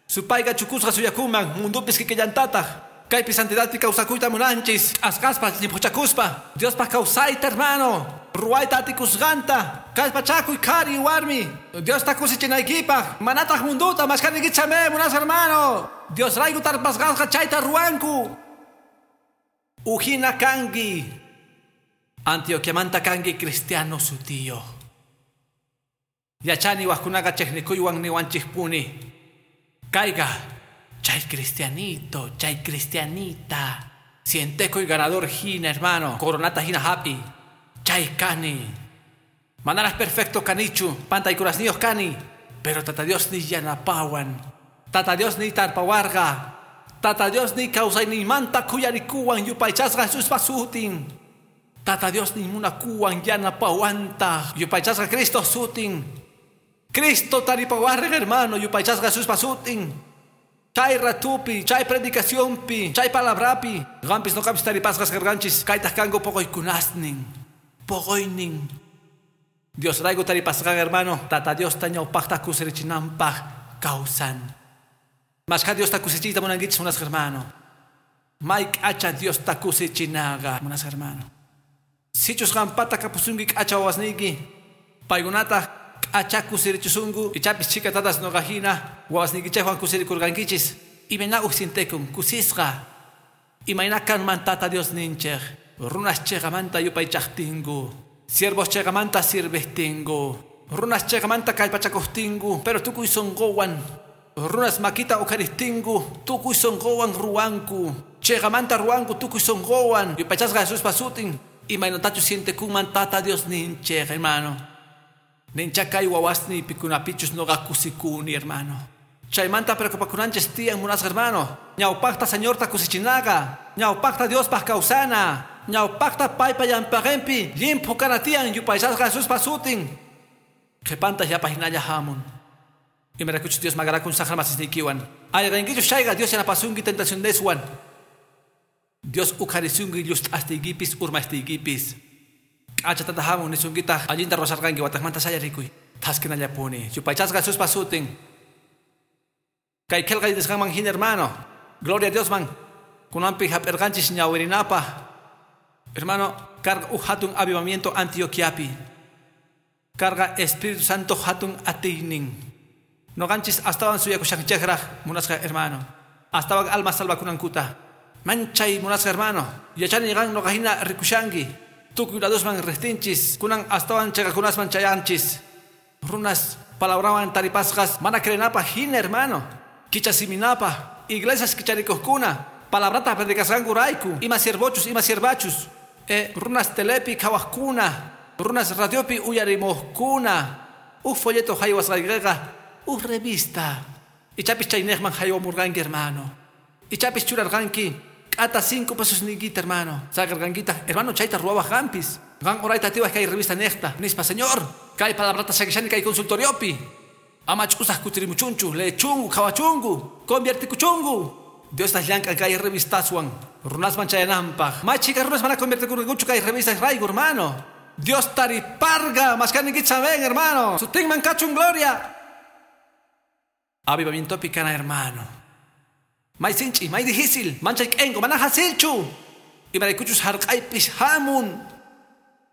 Supayqa chukusqa suyakunman mundupis kikillantataq. Kaypi santidadpi kawsakuyta munanchis. Asqaspa llimphuchakuspa. Diospaq kawsayta hermano. Ruwayta atikusqanta. Kallpachakuy qhari warmi. Diosta kusichinaykipaq. Manataq munduta mashkanikichame munasqa hermano. Diosrayku tarpasqasqa chayta ruwanku. Ujina kanki. Antioquiamanta kanki cristiano sutiyo. Yachani wajkunaqa chejnikuywan niwanchikpuni. Kayqa chay cristianito, chay cristianita. Sientekuy ganador hina, hermano. Coronata hina happy. Chay kani. Manaras perfecto kanichu. Pantaykurasniyuq kani. Pero Tata Dios ni yanapawan. Tata Dios ni tarpawarqa. Tata Dios ni kawsayninmanta khuyarikuwan yupaychasqa Jesuspa sutin. Tata Dios ni munakuwan yanapawanta. Yupaychasqa Cristo sutin. Cristo taripawarqa hermano, yupaychasqa Jesuspa sutin. Chay ratupi, chay predicacionpi, chay palabrapi. Qampis noqapis taripasqas karqanchis, kaytaq kanku poqoykunasnin. Poqoynin. Dios rayku taripasqaqa hermano, Tata Diosta ñawpaqta kusirichinanpaq kawsan. Mashkha Diosta kusichiyta munankichis munasqa hermano. May k'acha Diosta kusichinaqa munasqa hermano. Sichus qampata kapusunki k'acha wawasniyki, paykunataq k'acha kusirichisunku, ichapis chhika tatas noqa hina wawasniykichikwan kusirikurqankichis. Imayna uj sintekun kusisqa. Imayna kanman Tata Dios ninchik, runas chiqamanta yupaychaqtinku, siervos chiqamanta sirvejtinku, runas chiqamanta kallpachakuqtinku, pero tukuy sunquwan, runas makita uqhariptinku, tukuy sunquwan ruwanku, chiqamanta ruwanku tukuy sunquwan, yupaychasqa Jesuspa sutin. Imaynatachus sientekunman Tata Dios ninchik, hermano. Nincha kay wawasni pikunapichus noqa kusikuni, hermano. Chaymanta preocupakunanchis tiyan munasqa hermano. Ñawpaqta Señorta kusichinaqa, ñawpaqta Diospaq kawsana, ñawpaqta paypa llampaqinpi llimphu kana tiyan yupaychasqa Jesuspa sutin. Qhipanta llapa hinalla hamun. Imaraykuchus Dios maqarakun saqra masisniykiwan. Ayqinkichus chayqa Dios yanapasunki tentacioneswan. Dios uqharisunki llust'astiykipis urmastiykipis. K'acha tata hamun nisunkitaq allinta ruwasharqanki wataqmanta sayarikuy. Thaskinallapuni. Yupaychasqa Jesuspa sutin. Kay qillqay nisqanman hina hermano. Gloria a Diosman. Kunanpi hap'irqanchis ñawirinapaq. Hermano, karqa uj hatun avivamiento Antioquiapi. Karqa Espíritu Santo hatun atiynin. Noqanchis astawan suyakushanchikraq munasqa hermano. Astawan alma salvakunankuta. Manchay munasqa hermano. Yachani qan noqa hina rikushanki. Tukuy ladosman riqtinchis. Kunan astawan chayqakunasman chayanchis. Runas palabrawan taripasqas mana creenapaq hina hermano. Kichasiminapaq. Iglesias kicharikuqkuna. Palabrata predicasqankurayku. Ima siervochus, ima siervachus. Runas telepi qhawaqkuna. Runas radiopi uyarimuqkuna. Uj folleto haywasqaykiqa. Uj revista. Ichapis chayniqman haywamurqanki hermano. Ichapis churarqanki k'ata 5 pesos niykita hermano. Saqirqankitaq hermano chayta ruwawaq qampis. Qan orayta atiwaq kay revista niqta. Nispa señor, kay palabrata saqishani kay consultoriopi. Ama ch'usaq kutirimuchunchu, leechunku, qhawachunku, conviertikuchunku. Diosta llank'an kay revistaswan. Runasman chayananpaq. May chhika runas mana conviertikurqankuchu kay revistas rayku hermano. Dios tariparqa, mashkanikichis amén hermano. Sutinman kachun gloria. Avivamientopi kana hermano. May sinchi, may difícil, manchay k'enko, mana hasilchu. Imaraykuchus harq'aypis hamun.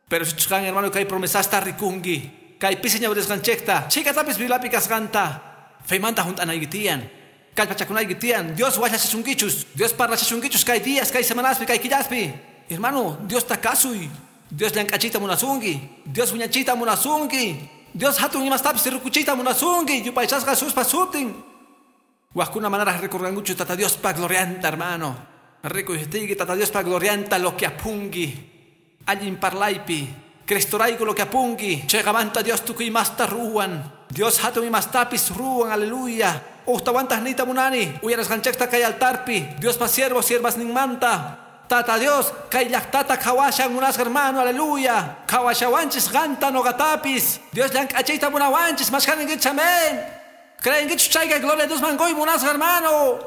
Pero sichus qan hermano kay promesasta rikunki. Kay pisi ñawirisqanchikta, chhikatapis Bibliapi kasqanta. Feymanta hunt'anayki tiyan. Kallpachakunayki tiyan. Dios wallachachunkichus. Dios parlachachunkichus kay días, kay semanaspi, kay killaspi. Hermano, Diosta kasuy. Dios llank'achiyta munasunki. Dios wiñachiyta munasunki. Dios hatun imastapis rikuchiyta munasunki. Yupaychasqa Jesuspa sutin. Wajkuna manaraq rikurqankuchu Tata Diospa glorianta, hermano. Rikuytiyki Tata Diospa glorianta lo que apunki. Allin parlaypi. Cristorayku lo que apunki. Chiqamanta Dios tukuy imasta ruwan. Dios hatun imastapis ruwan, aleluya. Uhtawantaq niyta munani. Uyarasqanchikta kay altarpi. Diospa siervo siervasninmanta. Tata Dios, kay llaqtata qhawashan munasqa hermano, aleluya. Qhawashawanchis qanta noqatapis. Dios llank'achiyta munawanchis, mashkaninkichis, amén. Creenkichus chayqa gloria a Dios man quy munasqa hermano.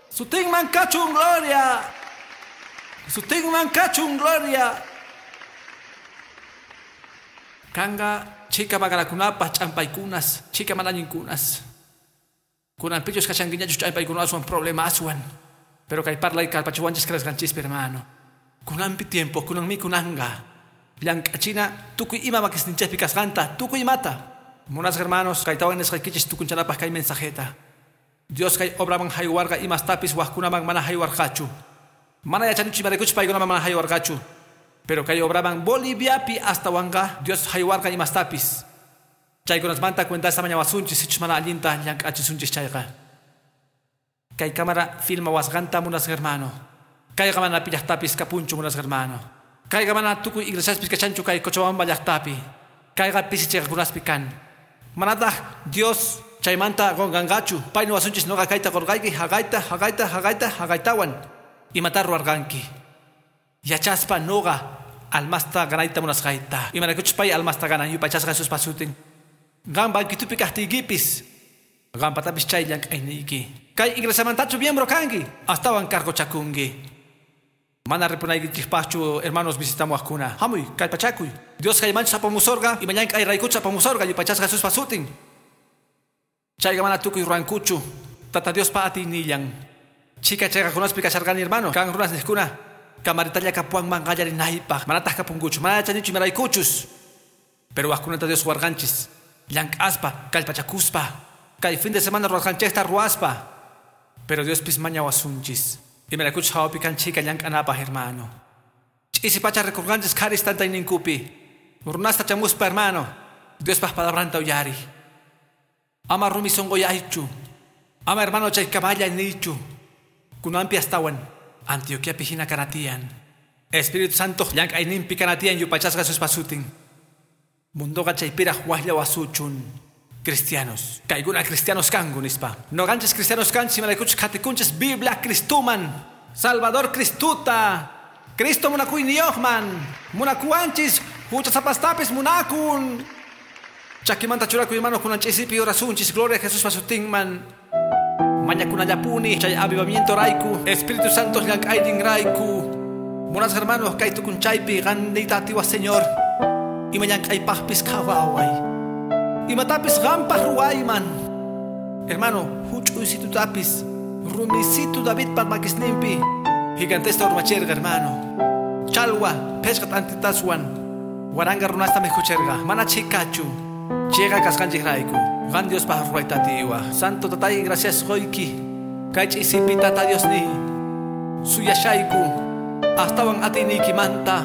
Sutinman kachun gloria. Sutinman kachun gloria. Kanqa chhika maqanakunapaq ch'ampaykunas, chhika manañinkunas. Kunanpichus kashankiñachus ch'ampaykunaswan problemaswan. Pero kay parlay kallpachiwanchis creesqanchispi hermano. Kunanpi tiempo, kunanmi kunanqa. Llank'achina tukuy ima makisninchikpi kasqanta, tukuy imata. Munasqa hermanos, kaytawan nisqaykichis tukunchanapaq kay mensajeta. Dios kay obraman haywarqa imastapis wajkunaman mana haywarqachu. Mana yachanichu imaraykuchus paykunaman mana haywarqachu. Pero kay obraman Boliviapi astawanqa Dios haywarqa imastapis. Chaykunasmanta cuentasta mañawasunchis sichus mana allinta llank'achisunchis chayqa. Kay cámara filmawasqanta munasqa hermano. Kayqa mana pi llaqtapis kapunchu munasqa hermano. Kayqa mana tukuy iglesiaspis kachanchu kay Cochabamba llaqtapi. Kayqa pisi chiqakunaspi kan. Manataq Dios chaymanta qunqanqachu. Pay niwasunchis noqa kayta qurqayki haqayta, haqayta, haqayta, haqaytawan. Imata ruwarqanki. Yachaspa noqa Almasta ganayta munasqayta. Imaraykuchus pay almasta ganan yupaychasqa Jesuspa sutin. Qan banquitupi kaqtiykipis. Qanpatapis chay llank'ayniyki. Kay iglesiamantachu miembro kanki. Astawan cargochakunki. Mana ripunaykichikpaqchu hermanos visitamuwaqkuna. Hamuy, kallpachakuy. Dios kaymanchus apamusorqa, ima llank'ayraykuchu apamusorqa yupaychasqa Jesuspa sutin. Chayqa mana tukuy ruwankuchu. Tata Diospa atiynillan. Chika chayqakunaspi kasharqani hermano. Kan runas niqkuna. Kamaritalla kapuwanman qallarinaypaq. Manataq kapunkuchu. Mana yachanichu imaraykuchus. Pero waqkunata Dios warqanchis. Llank'aspa, kallpachakuspa. Kay fin de semana ruwarqanchikta ruwaspa. Pero Diospis mañawasunchis. Imaraykuchus hawapi kan chika llank'anapaq hermano. Ch'isi pacha rikurqanchis qharis tantayninkupi. Runasta chamuspa hermano. Diospaq palabranta uyari. Ama rumi sunquyaychu. Ama hermano chay kaballa niychu. Kunanpi astawan Antioquiapi hina kanatiyan. Espíritu Santo llank'ayninpi kanatiyan yupaychasqa Jesuspa sutin. Mundoqa chaypiraq waqlla wasuchun. Cristianos. Kaykuna cristianos kanku nispa. Noqanchis cristianos kanchis imaraykuchus qhatikunchis Biblia Cristuman. Salvador Cristuta. Cristo munakuyniyuqman. Munakuwanchis huchasapastapis munakun. Chakimanta churakuy hermano kunan ch'isipi orasunchis. Gloria a Jesuspa sutinman. Mañakunallapuni chay avivamiento rayku. Espíritu Santo llank'aynin rayku. Munasqa hermanos kay tukunchaypi qanniyta atiwaq Señor. Ima llank'aypaqpis qhawaway. Imatapis qanpaq ruwayman. Hermano, huch'uysitutapis rumisitu Davidpa makisninpi. Gigantesta urmacherqa hermano. Chalwa phishqa t'antitaswan waranga runasta mikhucherqa. Mana chhikachu. Chayqa kasqanchikrayku. Qan Diospaq ruwayta atiwaq. Santo tatay, gracias qoyki. Kay ch'isipi tata Diosniy. Suyashayku. Astawan atiyniykimanta.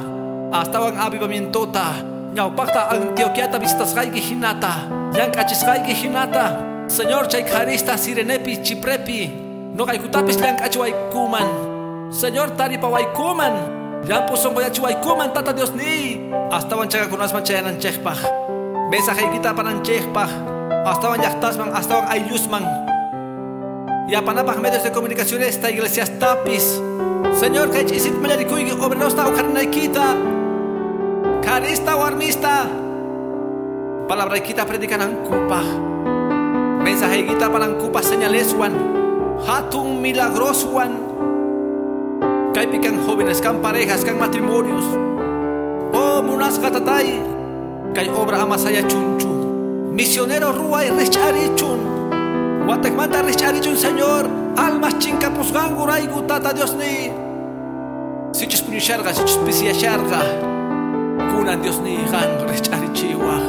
Astawan avivamientota. Ñawpaqta Antioquiata visitasqayki hinata. Llank'achisqayki hinata. Señor chay qharista Sirenepi, Chiprepi. Noqaykutapis llank'achiwaykuman. Señor taripawaykuman. Llampu sunquyachiwaykuman tata Diosniy. Astawan chakakunasman chayananchikpaq. Mensajeykita apananchikpaq. Astawan llaqtasman, astawan ayllusman. Yapanapaq medios de comunicación esta iglesiastapis. Señor kay ch'isit mallarikuyki obrerosta uqharinaykita. Qharista warmista. Palabraykita predikanankupaq. Mensajeykita apanankupaq señaleswan. Hatun milagroswan. Kaypi kan jóvenes, kan parejas, kan matrimonios. Oh, munasqa tatay. Kay obra amasaya chunchu. Misionero ruway rich'arichun. Watakmanta rich'arichun, Señor. Almas chinkapusqanku rayku tata Diosniy. Sichus puñusharqa, sichus pisiyasharqa. Kunan Diosniy qan rich'arichiwaq.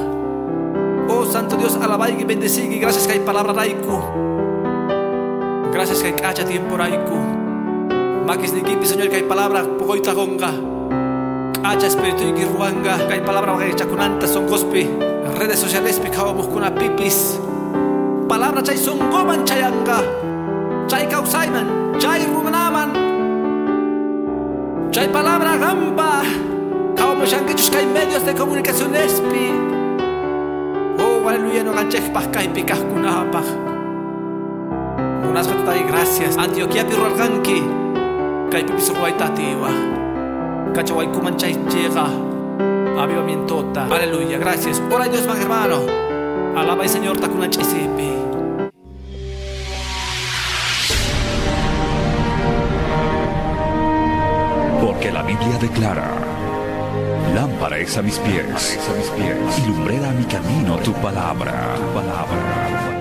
Oh, Santo Dios, alabayki, bendecigi. Gracias kay palabra rayku. Gracias kay k'acha tiempo rayku. Makisniykipi, Señor, kay palabra puquyta qunqa. K'acha espirituyki ruwanqa. Kay palabra waqaychakunanta sunquspi. Redes socialespi qhawamuqkunapipis. Palabra chay sunquman chayanqa. Chay kawsayman, chay runaman. Chay palabra qanpa. Qhawamushankichus kay medios de comunicacionespi. Oh, aleluya, noqanchikpaq kaypi kaqkunapaq. Munasqa tatay, gracias. Antioquiapi ruwarqanki. Kaypipis ruwayta atiwaq. Kachawaykuman chay chiqa. Avivamientota. Aleluya, gracias. Ora Dios, hermano. Alaba al Señor takunan ch'isipi. Porque la Biblia declara: lámpara es a mis pies, y lumbrera a mi camino tu palabra. Tu palabra.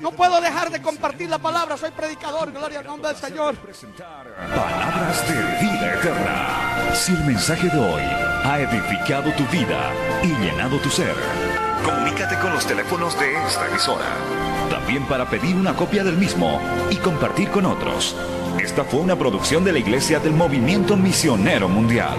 No puedo dejar de compartir la palabra. Soy predicador. Gloria al nombre del Señor. Palabras de vida eterna. Si el mensaje de hoy ha edificado tu vida y llenado tu ser, comunícate con los teléfonos de esta emisora. También para pedir una copia del mismo y compartir con otros. Esta fue una producción de la Iglesia del Movimiento Misionero Mundial.